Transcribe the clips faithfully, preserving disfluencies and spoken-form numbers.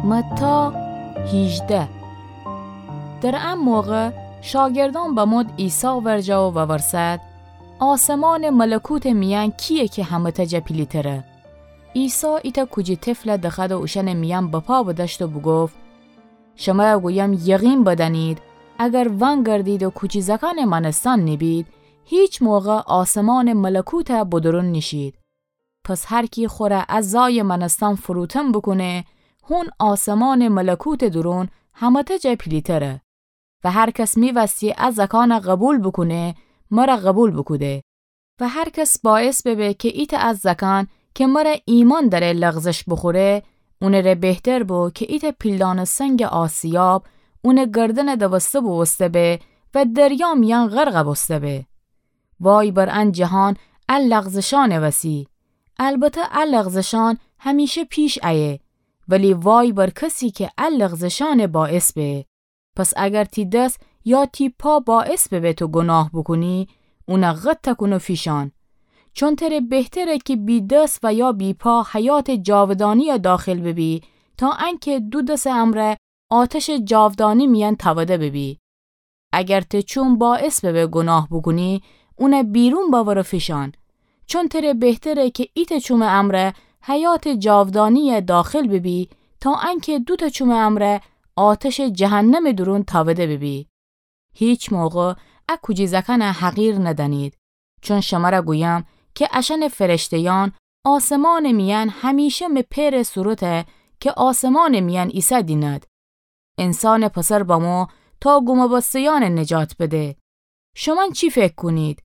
متی هیجده. در ا موقع شاگردأن بمود عیسی ورجه و وورسد: آسمانٚ ملکوتٚ میأن کییه کی همه‌تأ جا پیلی‌تره؟ عیسی ایتأ کوجی طفل دخوأد و اوشأنٚ میأن بپا بدأشت و بوگفت: شمر گویم، یقین بدأنید، اگر ونگردید و کوجی زأکأنٚ مأنستن نیبید، هیچ موقع آسمانٚ ملکوت بدرون نیشید. پس هر کی خور ا زایٚ مأنستن فروتن بوکونه، هون آسمانٚ ملکوتٚ دورون همه‌تأ جا پیلی‌تره. و هر کس می‌وستی ا زأکأن قوبیل بوکونه، مر قوبیل بوکوده. و هر کس باعث ببه کی ایتأ ا زأکأن کی مر ایمأن دأره لغزش بوخوره، اونٚره بهتر بو کی ایتأ پیلدانٚ سنگٚ آسیاب اونٚ گردن دوسته بوبوسته به و دریا میأن غرق بوسته به. وای بر ان جهان ا لغزشأنٚ وسی! البته ا لغزشأن همیشه پیش ایه، ولی وای بر کسی کی ا لغزشأن باعث به. پس اگر تی دس یا تی پا باعث ببه تو گناه بوکونی، اون قطع کون و فیشأن. چون تره بهتره کی بی دس و یا بی پا حیاتٚ جاودانی داخل ببی، تا انکی دو دسٚ امرأ آتشٚ جاودانی میأن تأوده ببی. اگر ته چوم باعث ببه گناه بوکونی، اون بیرون بأور و فیشأن. چون تره بهتره کی ایتأ چومٚ امرأ حیاتٚ جاودانی داخل ببی، تا انکی دوتأ چومٚ امرأ آتشٚ جهنمٚ دورون تأوده ببی. هیچ موقع ا کوجی زأکأن حقیر ندأنید. چون شمر گویم کی اشأنٚ فرشته‌یأن آسمانٚ میأن همیشه می پئرٚ صورته کی آسمانٚ میأن ایسه دینید. انسانٚ پسر بمو تا گومه‌بسته‌یأن نجات بده. شومأن چی فکر کونید؟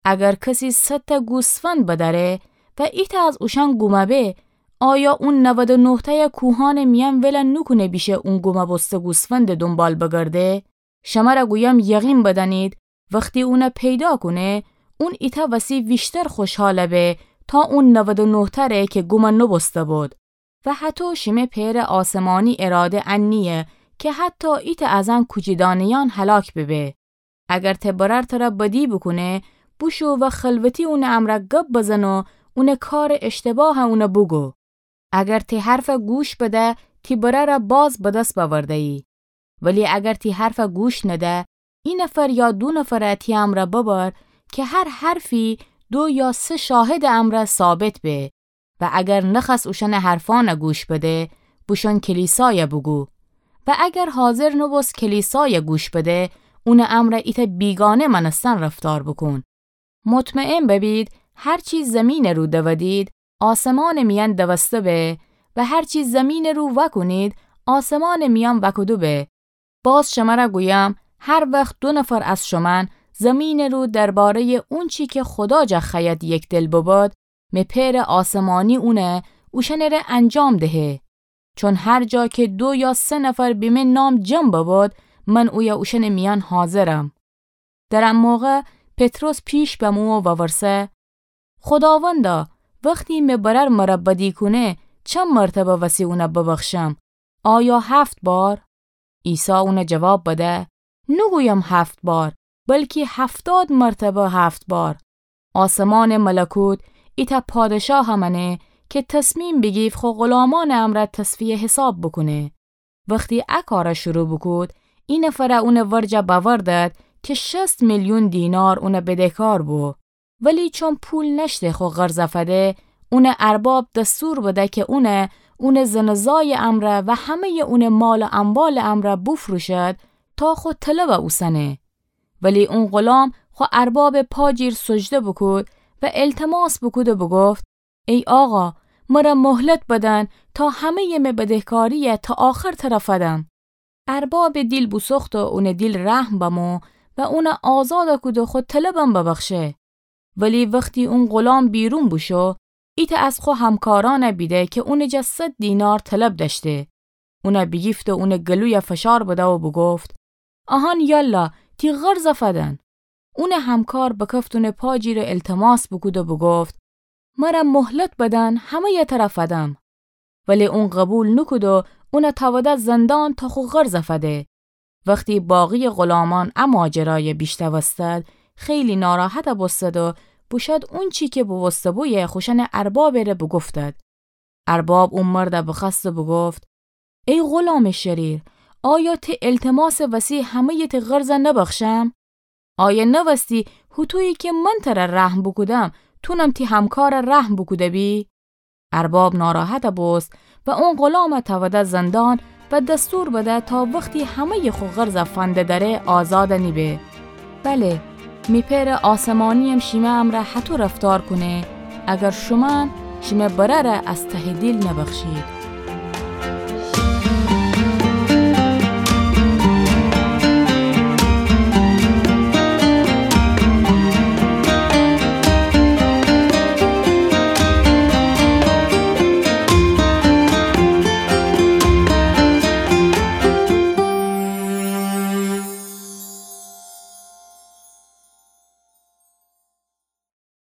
اگر کسی صدتأ گوسفند بدأره و ایتأ از اوشأن گومه به، آیا اون نود و نهتأی کوهأنٚ میأن ول نوکونه بیشه اون گومه‌بسته گوسفندٚ دونبال بگرده؟ شمر گویم، یقین بدأنید، وختی اون پیدا کونه، اون ایتأ وسی ویشتر خوشحال به تا اون نود و نهتأ ره کی گوم نوبوسته بود. و هطو شیمه پئرٚ آسمانی اراده ان نییه کی حتی ایتأ از ان کوجی دانه‌یأن هلاک ببه. اگر ته برأر تر بدی بوکونه، بوشو و خلوتی اونٚ امرأ گب بزن و اونٚ کارٚ اشتباه اون بوگو. اگر تی حرف گوش بده، تی برأر باز به دس بأورده‌یی. ولی اگر تی حرف گوش نده، ای نفر یا دو نفر تی امرأ ببر کی هر حرفی دو یا سه شاهدٚ امرأ ثابت به. و اگر نخوأست اوشأنٚ حرفأن گوش بده، بوشون کلیسای بوگو. و اگر حاضر نوبوست کلیسای گوش بده، اونٚ امرأ ایتأ بیگانه مأنستن رفتار بوکون. مطمئن ببید، هر چی زیمینٚ رو دودید، آسمانٚ میأن دوسته به، و هر چی زیمینٚ رو وأکونید، آسمانٚ میأن وأکوده به. باز شمر گویم، هر وخت دو نفر از شومأن زیمینٚ رو درباره‌یٚ اونچی کی خودا جا خوأید یکدل ببید، می پئرٚ آسمانی اون اوشأنٚ ره انجام دهه. چون هر جا کی دو یا سه نفر به می نام جمع ببید، من اویه اوشأنٚ میأن حاضرم. در ا موقع پطرس پیش بمو و وورسه: خوداوندا، وختی می برأر مر بدی کونه، چند مرتبه وسی اون ببخشم؟ آیا هفت بار؟ عیسی اون جواب بده: نوگویم هفت بار، بلکی هفتاد مرتبه هفت بار. آسمانٚ ملکوت ایتأ پادشاه مأنه کی تصمیم بیگیفت خو غلامأنٚ امرأ تصفیه حساب بوکونه. وختی ا کار شروع بوکود، ای نفر اونٚ ورجه بأوردد کی شصت میلیون دینار اون بدهکار بو. ولی چون پول نأشته خو قرض فده، اونٚ ارباب دستور بده کی اون، اونٚ زن و زایٚ امرأ و همه‌یٚ اونٚ مال و اموالٚ امرأ بوفروشد تا خو طلب اوسنه. ولی اون غلام خو اربابٚ پا جیر سجده بوکود و التماس بوکود و بوگفت: ای آقا، مر مهلت بدن تا همه‌یٚ می بدهکاری تا آخر تر فدم. اربابٚ دیل بوسوخت و اونٚ دیل رحم بمو و اون آزاد کود و خو طلبم ببخشه. ولی وختی اون غلام بیرون بوشو، ایتأ از خو همکارأن بیده کی اونٚ جا صد دینار طلب دأشته. اون بیگیفت و اونٚ گلوی فشار بده و بوگفت: اهان یالا، تی قرض فدن. اونٚ همکار بکفت اونٚ پا جیر التماس بوکود و بوگفت: مر مهلت بدن، همه‌یٚ تر فدم. ولی اون قبول نوکود و اون تأوده زندان تا خو قرض فده. وختی باقی‌یٚ غلامأن ا ماجرای بیشنوستد، خیلی ناراحت بوستد و بوشد اونچی کی بوسته بویه خوشأنٚ اربابٚ ره بوگفتد. ارباب او مرد بخوأست و بوگفت: ای غلامٚ شریر، آیا تی التماسٚ وسی همه‌یٚ تی قرض نبخشم؟ آیا نوستی هوطویی کی من تر رحم بوکودم، تونم تی همکار رحم بوکوده بی؟ ارباب ناراحت بوست و اون غلام توده زندان و دستور بده تا وختی همه‌یٚ خو قرض فنده دره آزاد نیبه. بله، می پئرٚ آسمانی‌یم شیمه امرأ هطو رفتار کونه، اگر شومأن شیمه برأره از تهٚ دیل نبخشید.